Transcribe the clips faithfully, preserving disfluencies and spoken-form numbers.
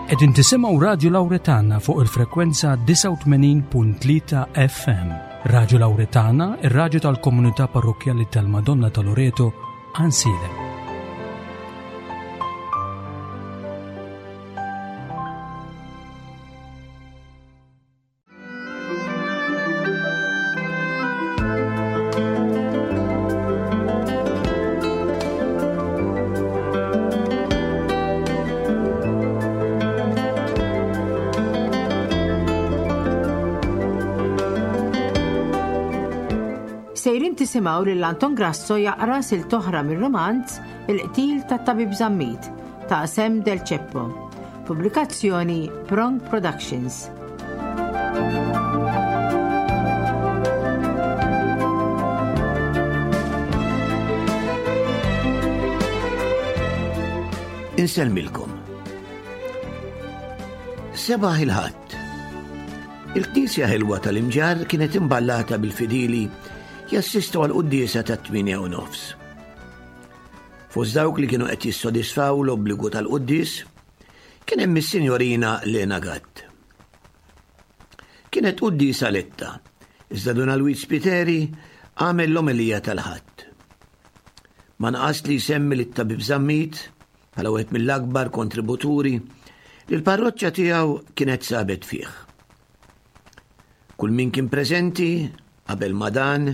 Qegħdin tisimgħu Radju Lawretana fuq il-frekwenza disgħa u tmenin punt tlieta F M. Radju Lawretana, ir-radju tal-Komunità Parrokkjali tal-Madonna ta' Loreto, Għajnsielem. Sejrin tisimgħu lil Anton Grasso jaqra silta oħra mir-romanz Il-qtil tat-Tabib Zammit ta' Sam Del Ceppo. Pubblikazzjoni Prong Productions. Insellmilkom. Sebaħ il-Ħadd. Il-knisja ħelwa tal-Imġarr kienet imballata bil-fidili jassistu għal quddiesa ta' tmienja u nofs. Fost dawk li kienu qed jissodisfaw l-obbligu tal-quddies kien hemm is-Sinjorina Lena Gatt. Kienet quddiesa letta, iżda Dun Alwiġ Spiteri għamel l-omelija tal-Ħadd. Ma naqas li jsemmi lit-tabib Zammit bħala wieħed mill-akbar kontributuri li l-parroċċa tiegħu kienet sabet fih. Kull min kien preżenti qabel ma dan,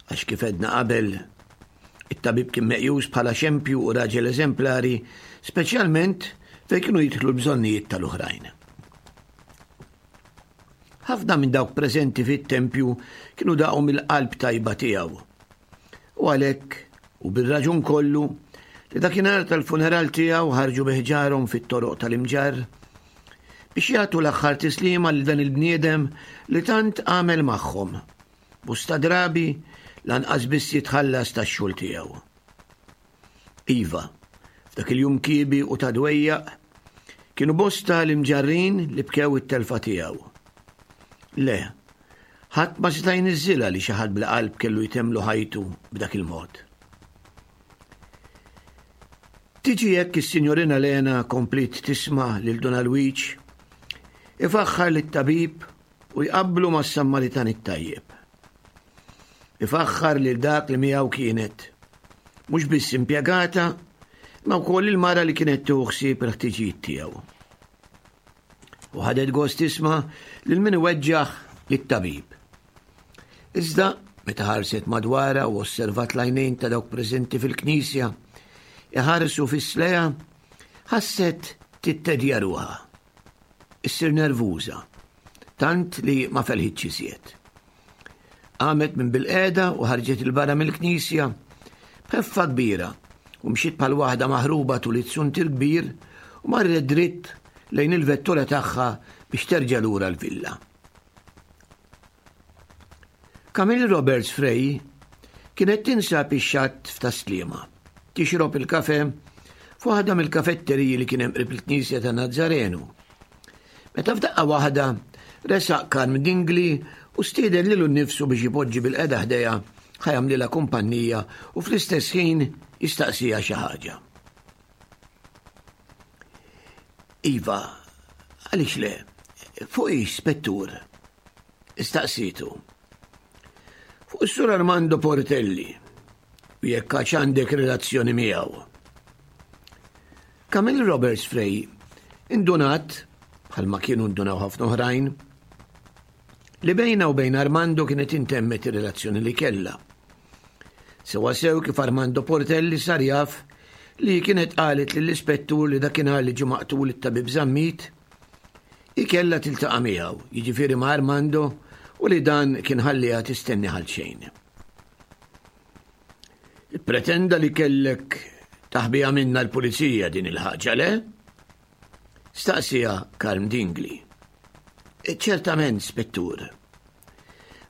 għax kif għedna qabel, it-tabib kien meqjus bħala xempju u raġel eżemplari, speċjalment fejn kienu jidħlu l-bżonnijiet tal-oħrajn. Ħafna minn dawk preżenti fit-tempju kienu daqu mill-qalb tajba tiegħu. U għalhekk, u bir-raġun kollu, li dakinhar tal-funeral tiegħu ħarġu bi ħġarhom fit-toroq tal-Imġarr biex jagħtu l-aħħar tislima lil dan il-bniedem li tant għamel magħhom. Bosta drabi lanqas biss jitħallas tax-xogħol tiegħu. Iva, f'dak il-jum kiebi u ta' dwejjaq, kienu bosta l-Imġarrin li bkew it-telfa tiegħu. Le, ħadd ma seta' jniżżilha li xi ħadd bla qalb kellu jtemmlu ħajtu b'dak il-mod. Tiġi hekk is-Sinjorina Lena kompliet tisma' lil Dun Alwiġ ifaħħar lit-tabib u jqabblu mas-Sammaritan it-tajjeb. Ifaħħar lil dak li miegħu kienet mhux biss impjegata, ma wkoll il-mara li kienet tieħu ħsieb il-ħtiġijiet tiegħu. U ħadet gost tisma' lil min iweġġaħ lit-tabib. Iżda meta ħarset madwarha u osservat l-għajnejn ta' dawk preżenti fil-knisja, iħarsu fis-sleja, ħasset tittedja ruħha. Issir nervuża, tant li ma felħitx iżjed. Qamet minn bilqiegħda u ħarġet 'il barra mill-knisja b'ħeffa kbira u mxiet bħal waħda maħruba tul it-suntir kbir u marret dritt lejn il-vettura tagħha biex terġa' lura l-villa. Camille Roberts Frey kienet tinsab ix-xatt f'Tas-Sliema, tixrob il-kafe f'waħda mill-kafetteriji li kien hemm qrib il-Knisja ta' Nazzarenu. Meta f'daqqa waħda resaq Karm Dingli u stieden lilu nnifsu biex ipoġġi bilqiegħda ħdejha ħa jagħmlilha kumpanija u fl-istess ħin jistaqsija xi ħaġa. Iva, għaliex le, fuq ix, spettur? Istaqsitu. Fuq is-Sur Armando Portelli, u jekk għax għandek relazzjoni miegħu. Camille Roberts Frey indunat, bħalma kienu ndunaw ħafna oħrajn, li bejna u bejn Armando kienet intemmet ir-relazzjoni li kellha. Sewa sew kif Armando Portelli sar jaf li kienet qalet lill-ispettur li dakinhar li ġie maqtul it-tabib Zammit, hi kellha tiltaqa' miegħu, jiġifieri ma' Armando, u li dan kien ħalliha tistenni ħal xejn. Pretenda li kellek taħbija minna l-pulizija din il-ħaġa, le? Staqsija Karm Dingli. Ċertament, spettur.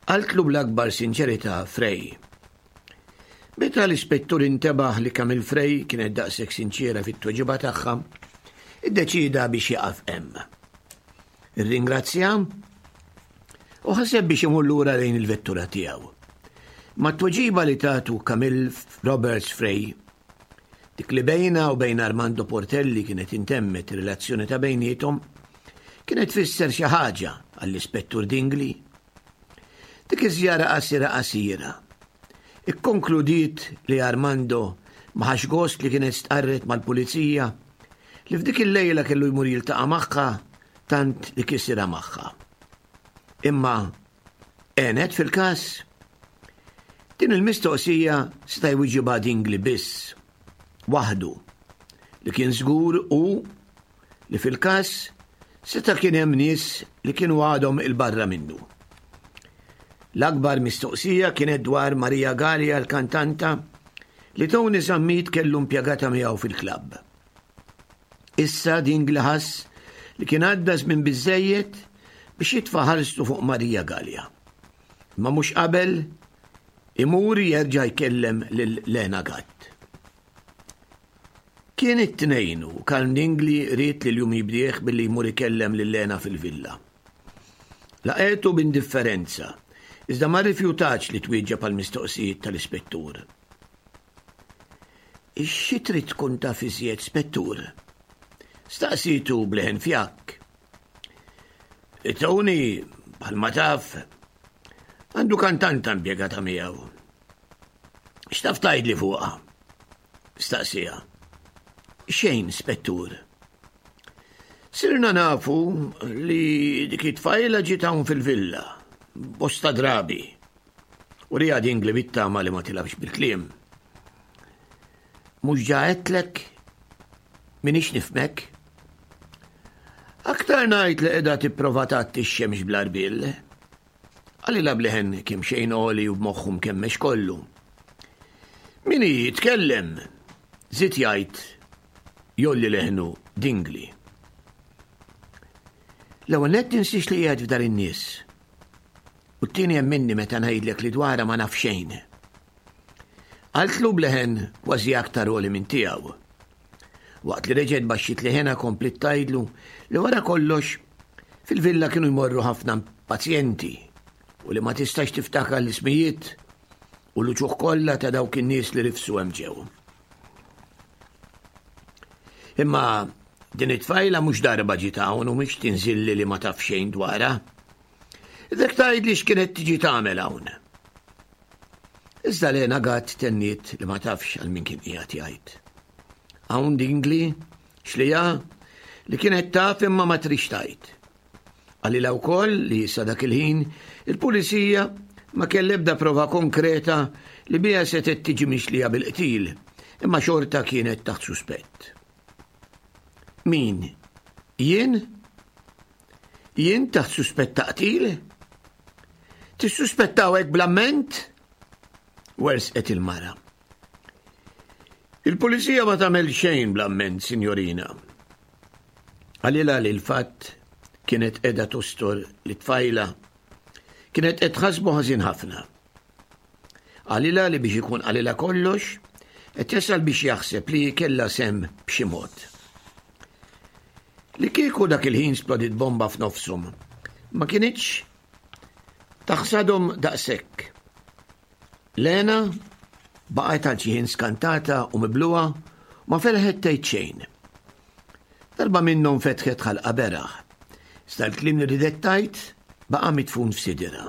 Qaltlu bl-akbar sinċerità Frey. Meta l-ispettur intebaħ li Camille Frey kienet daqshekk sinċiera fit-tweġiba tagħha, iddeċida biex jaqaf hemm. Irringrazzja u ħaseb biex imur lura lejn il-vettura tiegħu. Ma t-tweġiba li tatu Camille Roberts Frey Dik li bejna u bejn Armando Portelli kienet intemmet relazzjoni ta' bejniethom, kienet tfisser xi ħaġa għall-Ispettur Dingli. Dik iż-żjara qasira qasira. Ikkonkludiet li Armando ma ħax gost li kienet stqarret mal-pulizija li f'dik il-lejla kellu jmur jiltaqa' magħha tant li kisirha magħha. Imma għenet fil-każ? Din il-mistoqsija seta' jwiġibha Dingli biss, waħdu, li kien żgur u li fil-każ seta' kien hemm nies li kienu għadhom il-barra minnu. L-akbar mistoqsija kienet dwar Maria Gallia l-kantanta li Tony Zammit kellu impjegata miegħu fil-klabb. Issa Dingli ħass li kien għadda żmien biżejjed biex jitfa' ħarstu fuq Maria Gallia. Ma mhux qabel imur jerġa' jkellem lil Lena Gatt. Kien it-Tnejn u Karl Dingli ried li l-jum jibdieħ billi jmur ikellem lil Lena fil-villa. Laqgħetu b'indifferenza, iżda ma rrifjutax li twieġeb għal mistoqsijiet tal-ispettur. Xi trid tkun taf iżjed, spettur? Staqsitu bleħen fjakk. Tony, bħalma taf, għandu kantanta impjegata miegħu. X'taf tgħidli fuqha? Staqsija. Xejn, spettur. Sirna nafu li dik it-tfajla ġiet hawn fil-villa, bosta drabi, u li għad Dingli bit-tama li ma tilgħabx bil-kliem. Mhux ġa għedtlek, minix nifmek. Aktar ngħid li qiegħda tipprova tgħatti x-xemx bl-għarbiel. Qalilha b'leħen kemm xejn għoli u b'moħħu mkemmex kollu. Min hi jitkellem, żied jgħid jolli leħnu Dingli. L-ewwel nett tinsiex li qiegħed f'dar in-nies. U t-tieni hemm minni meta ngħidlek li dwarha ma naf xejn. Qaltlu b'leħen kważi aktar għoli minn tiegħu. Waqt li reġgħet baxxiet leħenha kompliet tgħidlu li wara kollox fil-villa kienu jmorru ħafna pazjenti u li ma tistax tiftakar l-ismijiet u l-uċuħ kollha ta' dawk in-nies li rifsu hemm ġew. Imma din it-tfajla mhux darba ġiet hawn u mhix tinżilli li ma taf xejn dwarha. Idek tgħidli x'kienet tiġi tagħmel hawn. Iżda Lena Gatt tenniet li ma tafx għal min kien qiegħed jgħid. Hawn Dingli xlija li kienet taf imma ma trix tgħid. Qalilha wkoll li sa dak il-ħin il-pulizija ma kellha ebda prova konkreta li biha setgħet tiġi mixlija bil-qtil, imma xorta kienet taħt suspett. Min? Jien? Jien taħt suspett ta' qtil? Tissuspettaw hekk bl-amment? Wersqet il-mara. Il-pulizija ma tagħmel xejn bl-amment, sinjorina. Qalilha li l-fatt kienet qiegħda tostor li tfajla kienet qed tħassbu ħażin ħafna. Qalilha li biex ikun qalilha kollox, qed jasal biex jaħseb li kellha sem b'xi mod. Li kieku dak il-ħin splodit bomba f'nofshom, ma kinitx taħsadhom daqshekk. Lena baqgħet għal xi ħin skantata u mibluha ma felħet tgħid xejn. Darba minnhom fetħet ħalqa beraħ. Iżda l-kliem li ridet tgħid baqa' mitfun f'sidirha.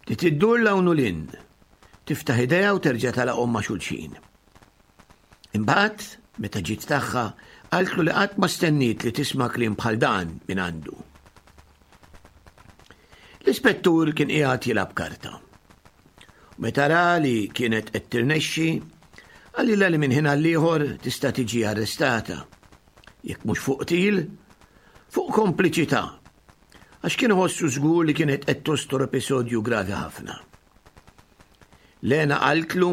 Bdiet iddur 'l hawn u 'l hinn, tiftaħ idejha u terġa' tagħlaqhom ma' xulxin. Imbagħad, meta ġiet tagħha, qaltlu li qatt ma stenniet li tisma' kliem bħal dan minn għandu. L-ispettur kien qiegħed jilgħab karta. Meta ra li kienet qed tirnexxi, qalilha li minn ħin għall-ieħor tista' tiġi arrestata. Jekk mhux fuq qtil, fuq kompliċità, għax kien iħossu żgur li kienet qed tostor episodju gravi ħafna. Lena qaltlu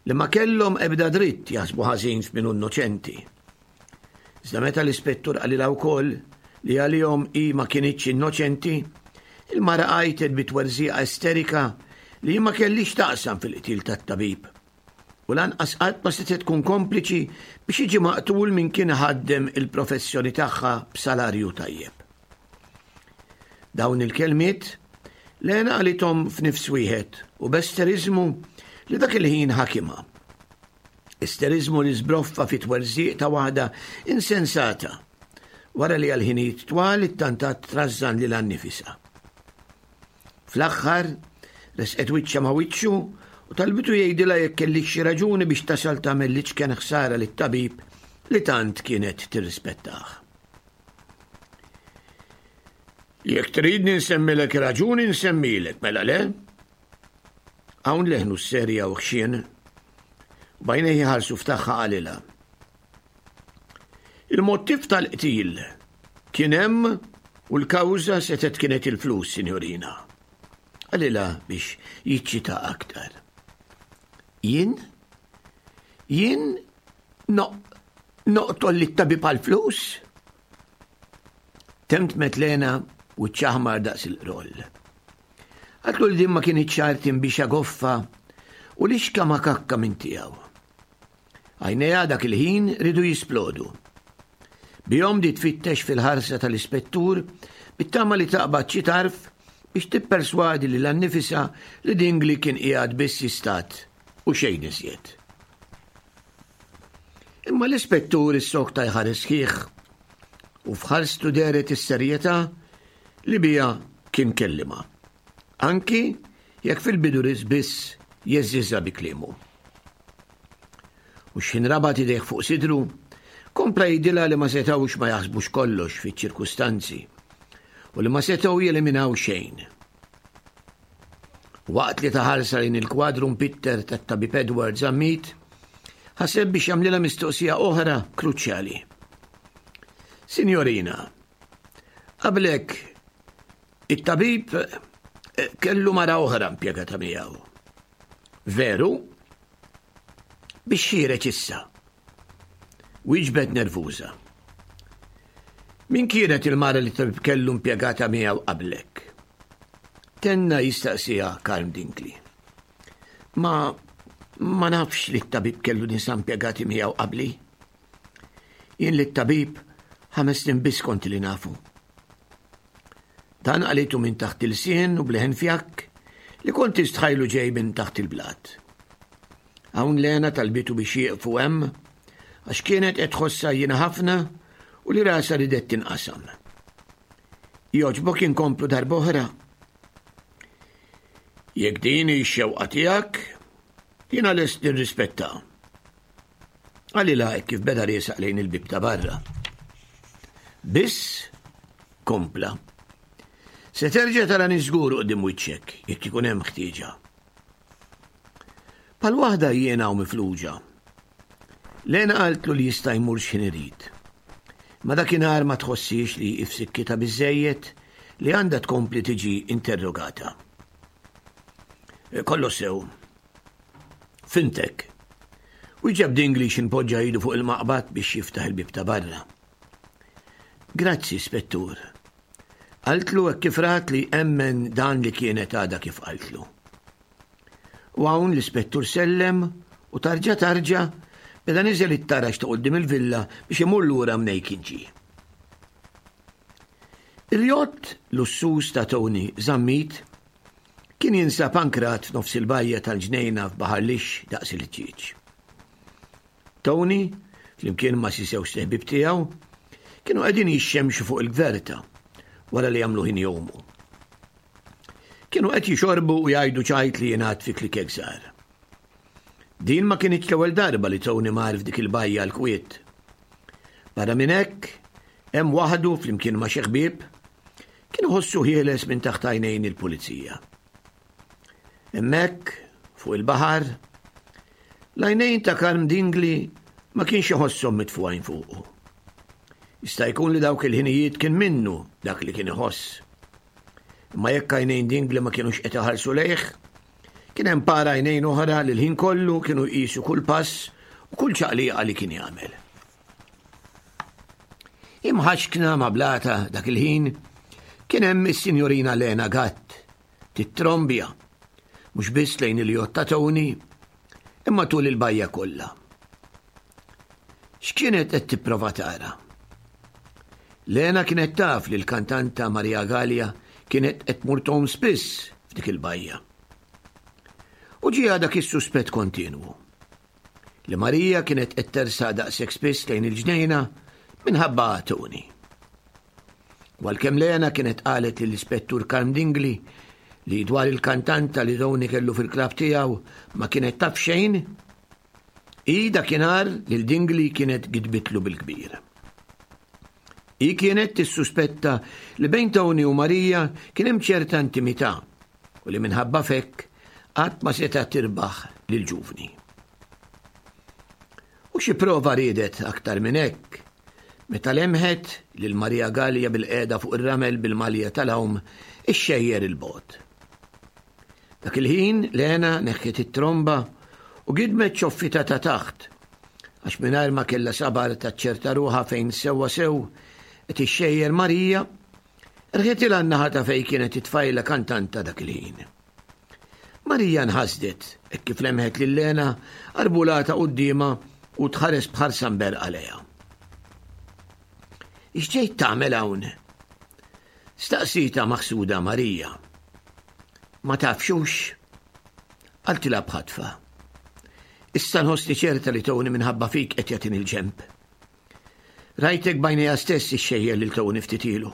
li ma kellhom ebda dritt jaħsbu ħażin f'min hu innoċenti. Iżda meta l-ispettur qalilha wkoll li għalihom hi ma kinitx innoċenti, il-mara għajtet bi twerżiqa esterika li ma kellix taqsam fil-qtil tat-tabib. U lanqas qatt ma setgħet tkun kompliċi biex jiġi maqtul min kien ħaddem il-professjoni tagħha b'salarju tajjeb. Dawn il-kelmiet Lena qalithom f'nifs wieħed u b'esteriżmu li dak il-ħin ħakimha. Isteriżmu li żbroffa fi twerżiq ta' waħda insensata wara li għal ħinijiet twal ittantat trażżan lilha nnifisha. Fl-aħħar resqet wiċċha ma' wiċċu u talbitu jgħidilha jekk kellix xi raġuni biex tasal tagħmel l-iċken ħsara lit-tabib li tant kienet tirrispettah. Jekk tridni nsemmilek raġuni nsemmilek, mela le? Hawn leħnu serja u ħxien, u b'għajnejh iħarsu f'tagħha qalilha. Il-mottiv tal-qtil kien hemm u l-kawża setgħet kienet il-flus, sinjorina. Qalilha biex jiċċita aktar. Jien? Jien noqtol lit-tabib għall-flus? Temtmet Lena u ċaħmar daqs il-qroll. Għatlu li din ma kienet ċarti biex goffa u li xka ma kakka minn tiegħu. Għajnejha dak il-ħin ridu jisplodu. Bihom di tfittex fil-ħarsa tal-ispettur bit-tama li taqbad xi tarf biex tipperswadi lilha nnifisha li Dingli kien qiegħed biss jistat u xejn iżjed. Imma l-ispettur issokta jħares sħiħ u f'ħarstu dehret is-serjetà li biha kien kellimha. Anki jekk fil-bidu riż biss jeżżiżha bi kliemu. U x'ħin rabat idejh fuq sidru, kompla jgħidilha li ma setgħux ma jaħsbux kollox fiċ-ċirkustanzi u li ma setgħu jeliminaw xejn. Waqt li taħarsa lejn il-kwadru mpitter tat-tabib Edward Zammit, ħaseb biex jagħmlilha mistoqsija oħra kruċjali. Signorina, qablek it-tabib kellu mara oħra impjegata miegħu. Veru? Biex ħiereġ issa. Wieġbet nervuża. Min kienet il-mara li tabib kellu impjegata miegħu qablek? Tenna jistaqsiha Karm Dingli. Ma ma nafx li t-tabib kellu nisa impjegati miegħu qabli. Jien li t-tabib ħames snin biss kont li nafu. Dan qalitu minn taħt il-sien u bleħen fjakk li kont tistħajlu ġej minn taħt il-blat. Hawn Lena talbitu biex jieqfu hemm għax kienet qed tħossha jiena ħafna u li rasa ridet tinqasam. Jogħġbok inkomplu darb'oħra. Jekk din hi x-xewqa tiegħek, jiena lest nirrispetta. Qalilha hekk kif beda riesaq lejn il-bib ta' barra. Biss kompla. Se terġa' tarani żgur quddiem wiċċek jekk ikun hemm ħtieġa. Pal waħda jiena u mifluġa. Lena qaltlu li jista' jmur x'ħin irid. Ma dakinhar ma tħossix li hi f'sikkitha biżejjed li għandha tkompli tiġi interrogata. Kollox sew. Fintek. Wieġeb Dingli x'inpoġġa idu fuq il-maqbad biex jiftaħ il-bib ta' barra. Grazzi, spettur. Qaltlu hekk kif rat li emmen dan li kienet għadha kif qaltlu. U hawn l-ispettur sellem u tarġa tarġa beda niżel it-taraġ ta' quddiem il-villa biex imur lura mnej kien ġie. Il-jott lussuż ta' Tony Zammit kien jinsab ankrat f'nofs il-bajja tal-ġnejna f'Baħar Lixx daqs il-ħġieġ. Tony, flimkien ma' xi żewġ ħbieb tiegħu, kienu qegħdin jixxemxu fuq il-gverta wara li jagħmlu ħin jgħumu. Kienu qed jixorbu u jgħidu ċajt li jingħad fi klikek żgħar. Din ma kienitx l-ewwel darba li Tony mar f'dik il-bajja l-kwiet. Barra minn hekk, hemm waħdu flimkien ma' xi ħbieb, kien iħossu ħieles minn taħt għajnejn il-pulizija. Hemmhekk, fuq il-baħar, l-għajnejn ta' Karm Dingli ma kienx iħosshom mitfugħin fuqu. Jista' jkun li dawk il-ħinijiet kien minnu dak li kien iħoss. Imma jekk għajnejn Dingli ma kienux qed iħarsu lejh, kien hemm para għajnejn oħra li l-ħin kollu kienu jqisu kull pass u kull ċaqliqa li kien jagħmel. Imħaxkna ma' blata dak il-ħin kien hemm is-sinjorina Lena Gatt tittrombja mhux biss lejn il-jott ta' Tony imma tul il-bajja kollha. X'kienet qed tipprova tara? Lena kienet taf li l-kantanta Maria Gallia kienet qed tmur tgħum spiss f'dik il-bajja. U ġie dak is-suspett kontinwu. li Marija kienet qed tersaq daqshekk spiss lejn il-ġnejna minħabba Tony. Għalkemm Lena kienet qalet lill-Ispettur Karm Dingli li dwar il-kantanta li Tony kellu fil-klabb tiegħu ma kienet taf xejn, hi dakinhar lil Dingli kienet gidbitlu bil-kbir. Hi kienet tissuspetta li bejn Tony u Marija kien hemm ċerta intimità u li minħabba f'hekk qatt ma seta' tirbaħ lill-ġuvni. U xi prova riedet aktar minn hekk meta lemħet lil Marija Gallia bil-qiegħda fuq ir-ramel bil-malja tal-għawm ixxejjer il-bogħod. Dak il-ħin Lena neħħiet it-tromba u gidmet ċoffita ta' taħt għax mingħajr ma kellha sabar taċċerta ruħha fejn sewwa sew qed ixxejjer Marija, rħitilha n-naħa ta' fejn kienet it-tfajla kantanta dak il-ħin. Marija nħasdet hekk kif lemħet lil Lena arbulata quddiemha u tħares b'ħarsa mberqa lejha. X'ġejt tagħmel hawn? Staqsita maħsuda Marija. Ma tafxux? Qaltilha b'ħatfa. Issa nħossni ċerta li Tony minħabba fik qed jagħtini l-ġenb. Rajtek b'għajnejja stess ixxejjer lil Tony ftit ilu.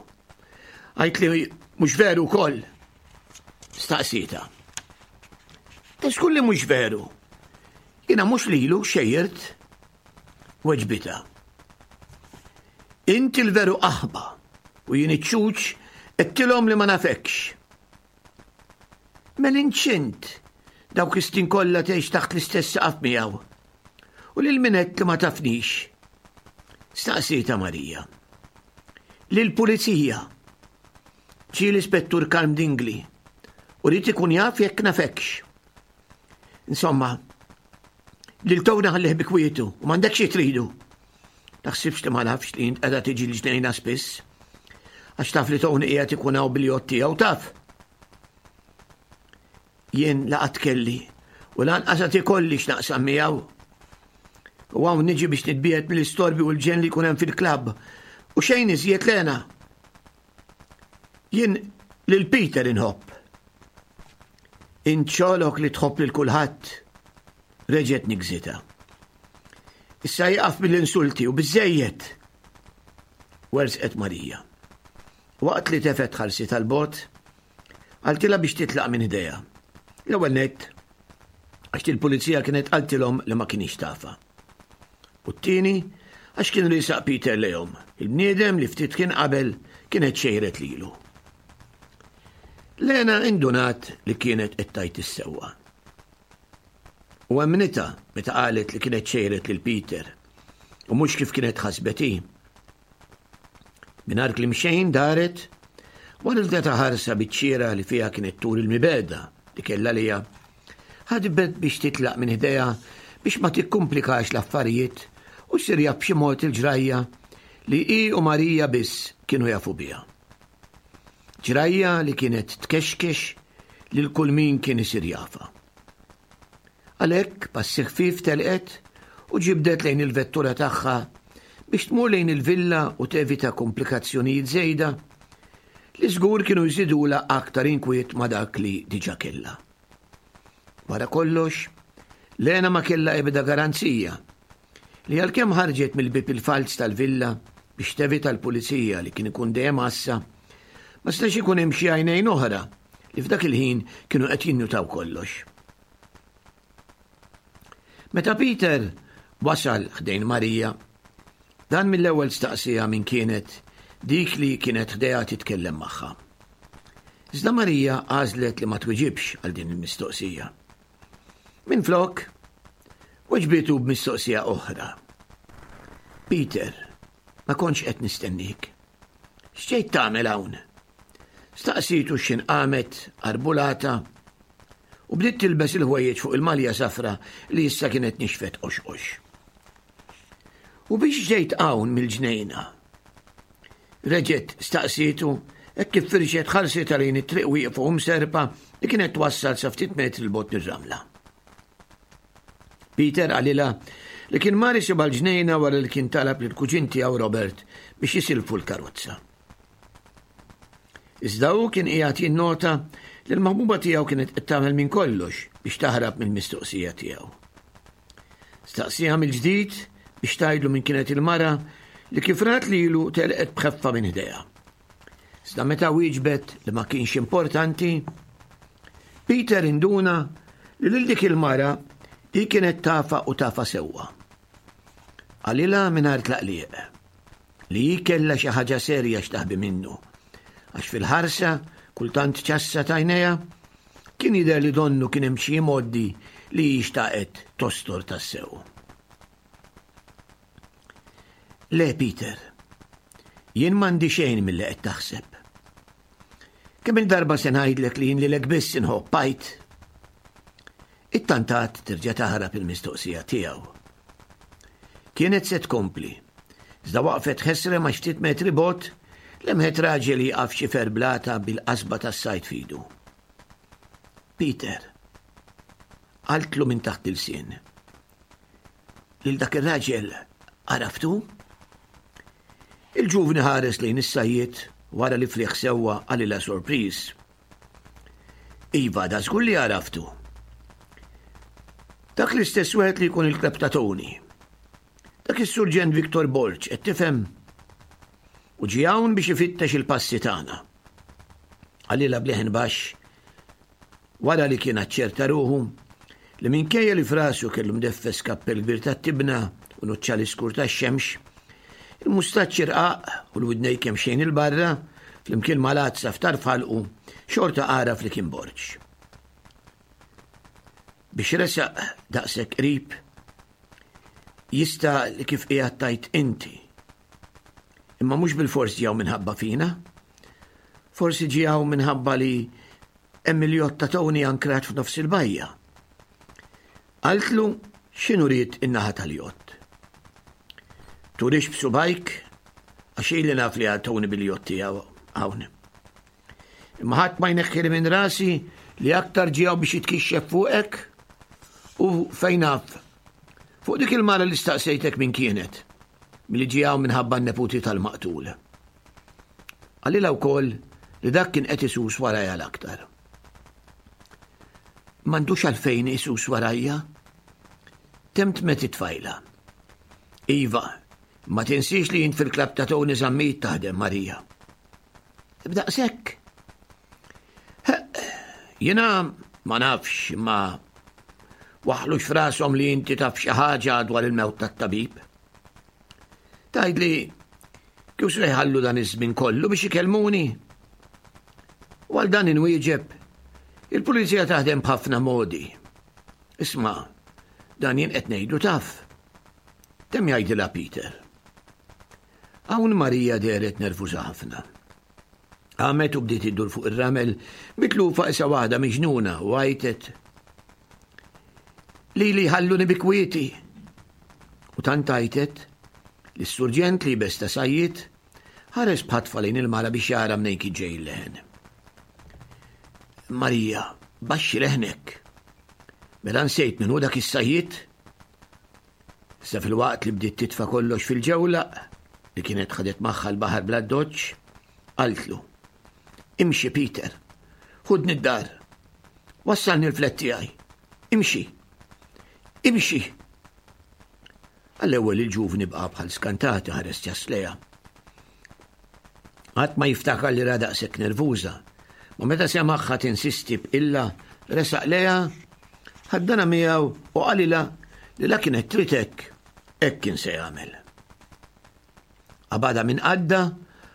Għajt li mhux veru wkoll. Staqsita. Taskull li mhux veru. Jiena mhux lilu xejjert. Weġbita. Inti l-veru qaħba u jien iċ-ċuċ għedtilhom li ma nafekx. Mela inċint dawk is-snin kollha tgħix taħt l-istess saqaf miegħu. U lil min għedt li ma tafnix. Staqsita Marija. Lil pulizija. Ġie l-ispettur Karm Dingli u ried ikun jaf jekk nafekx. Insomma, lil Tony ħallih bi kwietu u m'għandekx xi tridu. Taħsibx li ma nafx li int qiegħda tiġi l-ġnejna spiss. Għax taf li Tony qiegħed ikun hawn bil-jott tiegħu taf. Jien laqat kelli u lanqas qed ikolli x'naqsam miegħu. U hawn niġi biex nitbiegħed mill-istorbi u l-ġenn li jkun hemm fil-klabb u xejn iżjed Lena. Jien lil Peter inħobb. Int xogħlok li tħobb lil kulħadd. Reġgħet nigżita. Issa jaqaf mill-insulti u biżejjed. Werżqet Marija. Waqt li tefet ħarsi tal-bot, qaltilha biex titlaq minn idejha. L-ewwel nett, għax il-pulizija kienet qaltilhom li ma kienx tafa. U t-tieni, għax kien risaq Peter lejhom, il-bniedem li ftit kien qabel kienet xejret lilu. Lena indunat li kienet qed tgħid is-sewwa. U emmnitha meta qalet li kienet xejret lil Peter u mhux kif kienet ħasbet hi. Mingħajr kliem xejn daret wara li ta ħarsa biċ-ċiera li fiha kienet tur il-mibegħda li kellha lejha, ħadbet biex titlaq minn ħdejha biex ma tikkumplikax l-affarijiet u ssir jaf b'xi mod il-ġrajja li hi u Marija biss kienu jafu biha. Ġrajja li kienet tkexkex lil kull min kien isir jafa. Għalhekk passi ħfief telqet u ġibdet lejn il-vettura tagħha biex tmur lejn il-villa u tevita komplikazzjonijiet żejda li żgur kienu jżidula aktar inkwiet ma' dak li diġà kellha. Wara kollox, Lena ma kellha ebda garanzija li għalkemm ħarġet mill-bib il-falz tal-villa biex tevita l-pulizija li kien ikun dejjem għassa, ma setax ikun hemm xi għajnejn oħra li f'dak il-ħin kienu qed jinnutaw kollox. Meta Peter wasal ħdejn Marija, dan mill-ewwel staqsija min kienet dik li kienet ħdejha titkellem magħha. Iżda Marija għażlet li ma twiġibx għal din il-mistoqsija. Minflok, weġbitu b'mistoqsija oħra. Peter, ma kontx qed nistennik. X'ġejt tagħmel hawn? Staqsitu x'ħin qamet arbulata u bdiet tilbes il-ħwejjeġ fuq il-malja safra li issa kienet nixfet qoxqox. U biex ġejt hawn mill-ġnejna? Reġgħet staqsitu hekk kif firxet ħarsitha lejn it-triq wieqfa u mserpa li kienet twassal sa ftit metri 'l bogħod mir-ramla. Peter qalilha li kien mar isibha l-ġnejna wara li kien talab lill-kuġin tiegħu Robert biex jisilfu l-karozza. Iżda hu kien qiegħed jinnota li l-maħbuba tiegħu kienet qed tagħmel minn kollox biex taħrab mill-mistoqsija tiegħu. Staqsieha mill-ġdid biex tgħidlu min kienet il-mara li kif rat lilu telqet b'ħeffa minn ħdejha. Iżda meta wieġbet li ma kienx importanti, Peter induna li lil dik il-mara hi kienet tafha u tafha sewwa. Qalilha mingħajr tlaqliq li hi kellha xi ħaġa serja x'taħbi minnu, għax fil-ħarsa kultant ċassa t'għajnejha kien jidher li donnu kien hemm xi modi li hi xtaqet tostor tassew. Le, Peter, jien m'għandi xejn milli qed taħseb. Kemm il-darba se ngħidlek li jien lilek biss inħobb għidt? Ittantat terġa' taħrab il-mistoqsija tiegħu. Kienet se tkompli, iżda waqfet ħesrem għax ftit metri bogħod lemħet raġel jieqaf xifer blata bil-qasba tas-sajd f'idu. Peter, qaltlu minn taħt il-sien. Lil dak ir-raġel għaraftu? Il-ġuvni ħares lejn is-sajjied wara li fliħ sewwa qalilha sorpriż. Iva, da żgur li għaraftu. Dak l-istess wieħed li jkun il-kleb ta' Tony. Dak is-Surġent Victor Borg, qed tifhem? U ġie hawn biex ifittex il-passi tagħna. Qalilha b'leħen baxx wara li kien aċċerta ruħu li minkejja li frasu kellu mdeffes kappell kbir tat-tibna u nuċċali skur tax-xemx, il-mustaċċi rqaq u l-widnej kemm xejn il-barra, flimkien mal-għadsa f'tarf ħalqu, xorta għaraf li kien Borg. Biex resaq daqshekk qrib, jista' li kif qiegħed tajt inti. Imma mhux bilfors ġew minħabba fina. Forsi ġew minħabba li hemm il-jott ta' Tony ankrat f'nofs il-bajja. Qaltlu x'inhu ried in-naħa tal-jott. Turix b'subajk għax ili naf li għal Tony bil-jott tiegħu hawn. Imma ħadd ma jneħħili minn rasi li aktar ġew biex jitkixxef fuqek u fejn naf. Fuq dik il-mara li staqsejtek min kienet, milli ġew minħabba n-neputi tal-maqtul. Qalilha wkoll li dak kien qed isus warajja l-aktar. M'għandux għalfejn isus warajja? Temtmet it-tfajla. Iva, ma tinsiex li jint fil-klab ta' Tony Zammit taħdem, Marija. B'daqshekk. Jiena ma nafx ma waħlux f'rashom li inti taf xi ħaġa dwar il-mewt tat-tabib. Tgħidli kif se jħallu dan iż-żmien kollu biex ikellmuni? U għal dan inwieġeb, il-pulizija taħdem b'ħafna modi. Isma', dan jien qed ngħidu taf. Temm jgħidilha Peter. Hawn Marija dehret nervuża ħafna. Qamet u bdiet iddur fuq ir-ramel mitlufa isa waħda miġnuna u għajtet. Lili ħalluni bi kwieti. U tant għajtet li s-surġent li besta sajjiet ħares b'ħatfa lejn il-mara biex jara mnejn kien ġej il-leħen. Marija, baxxi leħnek. Mela nsejt min hu dak is-sajjiet? Issa fil-waqt li bdiet titfa' kollox fil-ġewlaq li kienet ħadet magħha l-baħar bla doċċ, qaltlu: Imxi Peter, ħudni d-dar. Wassalni l-flet tiegħi. Imxi. Imxi. Għall-ewwel il-ġuvni baqa' bħal skantati ħares ċass lejha. Qatt ma jiftakar li ra daqshekk nervuża, ma meta semagħha tinsisti b'illa resaq lejha, ħaddana miegħu u qalilha li la kienet trid hekk, hekk kien se jagħmel. Qabadha minn qadda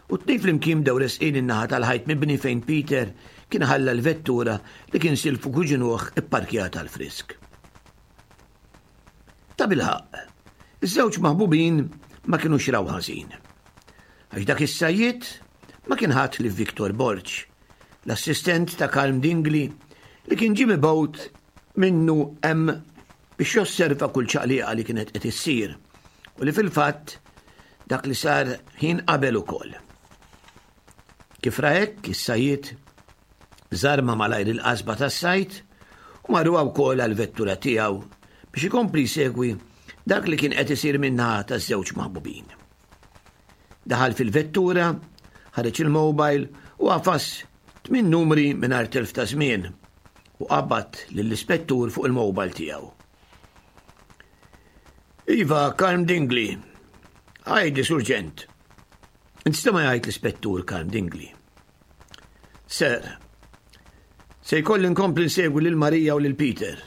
u t-tnejn flimkien bdew resqin in-naħa tal-ħajt mibni fejn Peter kien ħalla l-vettura li kien silfu kuġinuh ipparkjata għall-frisk. Ta' bilħaqq, iż-żewġ maħbubin ma kinux raw ħażin. Għax dak is-sajjied ma kien ħadd li Victor Borg, l-assistent ta' Karm Dingli li kien ġie mibgħut minnu hemm biex josserva kull ċaqliqa li kienet qed issir u li fil-fatt dak li sar ħin qabel ukoll. Kif ra hekk, is-sajjied żarma malajr il-qasba tas-sajt u marruha wkoll għall-vettura tiegħu biex ikompli jsegwi dak li kien qed isir min-naħa taż-żewġ maħbubin. Daħal fil-vettura, ħareġ il-mobile u għafas tmien numri mingħajr telf ta' żmien u qabad lill-ispettur fuq il-mobile tiegħu. Iva, Karm Dingli. Għajdi, Surġent. Instema jgħid l-Ispettur Karm Dingli. Sir, se jkolli nkompli nsegwi lil Marija u lil Peter.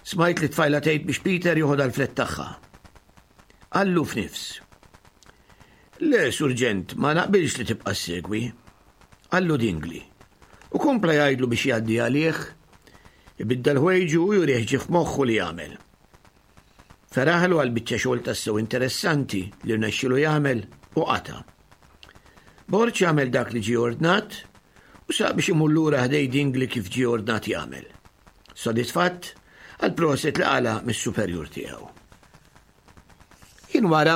Smajt li tfajla tgħid biex Peter joħodha l-flet tagħha. Qallu f'nifs. Le, Surġent, ma naqbilx li tibqa' ssegwi. Qallu Dingli. U kompla jgħidlu biex jgħaddi għalih, ibiddel ħwejġu u jurih ġie f'moħħu li jagħmel. Feraħlu għal biċċa xogħol tassew interessanti li rnexxielu jagħmel u qata'. Borg jagħmel dak li ġie ordnat u saq biex imur lura ħdej Dingli kif ġie ordnat jagħmel. Sodisfatt għal proset li qala mis-superjur tiegħu. Ħin wara,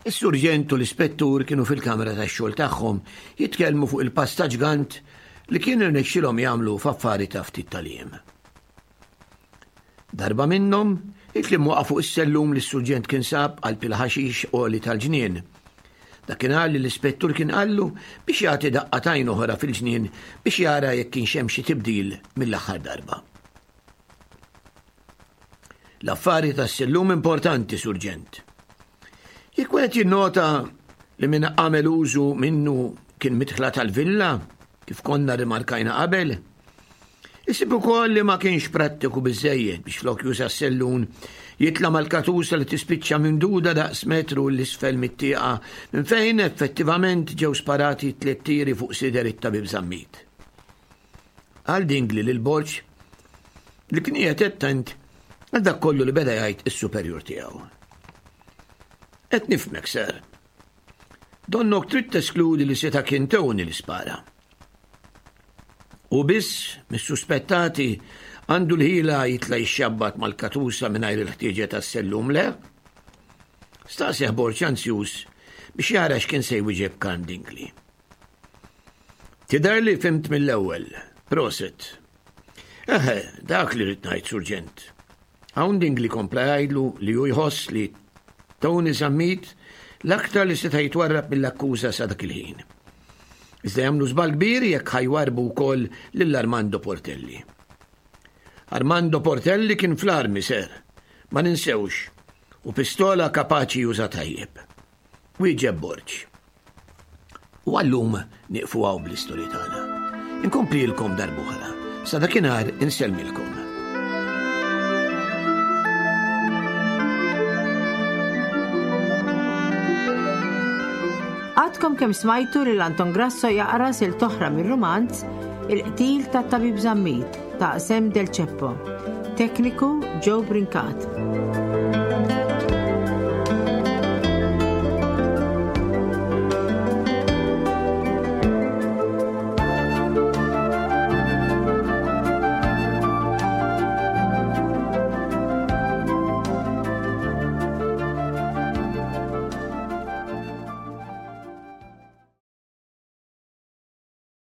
is-surġent u l-ispettur kienu fil-kamra tax-xogħol tagħhom jitkellmu fuq il-pass ta' ġgant li kien irnexxilhom jagħmlu f'affari ta' ftit tal-jiem. Darba minnhom, il-kliem waqa' fuq is-sellum li s-surġent kien sab qalb il-ħaxix għoli tal-ġnien. Dakinhar li l-ispettur kien qallu biex jagħti daqqa t'għajn oħra fil-ġnien biex jara jekk kienx hemm xi tibdil mill-aħħar darba. L-affari tas-sellum importanti, Surġent. Jekk wieħed jinnota li min għamel użu minnu kien midħla tal-villa, kif konna rimarkajna qabel, isib ukoll li ma kienx prattiku biżejjed biex flok juża s-sellun jitla' mal-katusa li tispiċċa mimduda daqs metru 'l isfel mit-tieqa minn fejn effettivament ġew sparati tliet tiri fuq sider it-tabib Zammit. Qal Dingli lil Borg li kien qiegħed attent għal dak kollu li beda jgħid is-superjur tiegħu. Qed nifhmek, sir. Donnok trid teskludi li seta' kien Tony li spara. U biss mis-suspettati għandu l-ħila jitla' jixxabbat mal-katusa mingħajr il-ħtieġa tas-sellum le? Staqsih Borg anzjuż biex jara x'kien se jwieġeb Karm Dingli. Tidher li fhimt mill-ewwel. Proset. Eħe, dak li rrid ngħid, Surġent. Hawn Dingli kompla jgħidlu li hu jħoss li Tony Zammit l-aktar li seta' jitwarrab mill-akkuża sa dak il-ħin. Iżda jagħmlu żball kbir jekk ħa jwarrbu wkoll lil Armando Portelli. Armando Portelli kien fl-armi, ser, ma ninsewx, u pistola kapaċi juża tajjeb. Wieġeb Borg. U għallum nieqfu hawn bl-istorja tagħna. Inkomplilkom darb'oħra. Sa dakinhar insellmilkom. Għadkom kemm smajtu lil Anton Grasso jaqra silt oħra mir-rumanz Il-qtil tat-Tabib Zammit ta' Sam Del Ceppo. Tekniku Joe Brincat.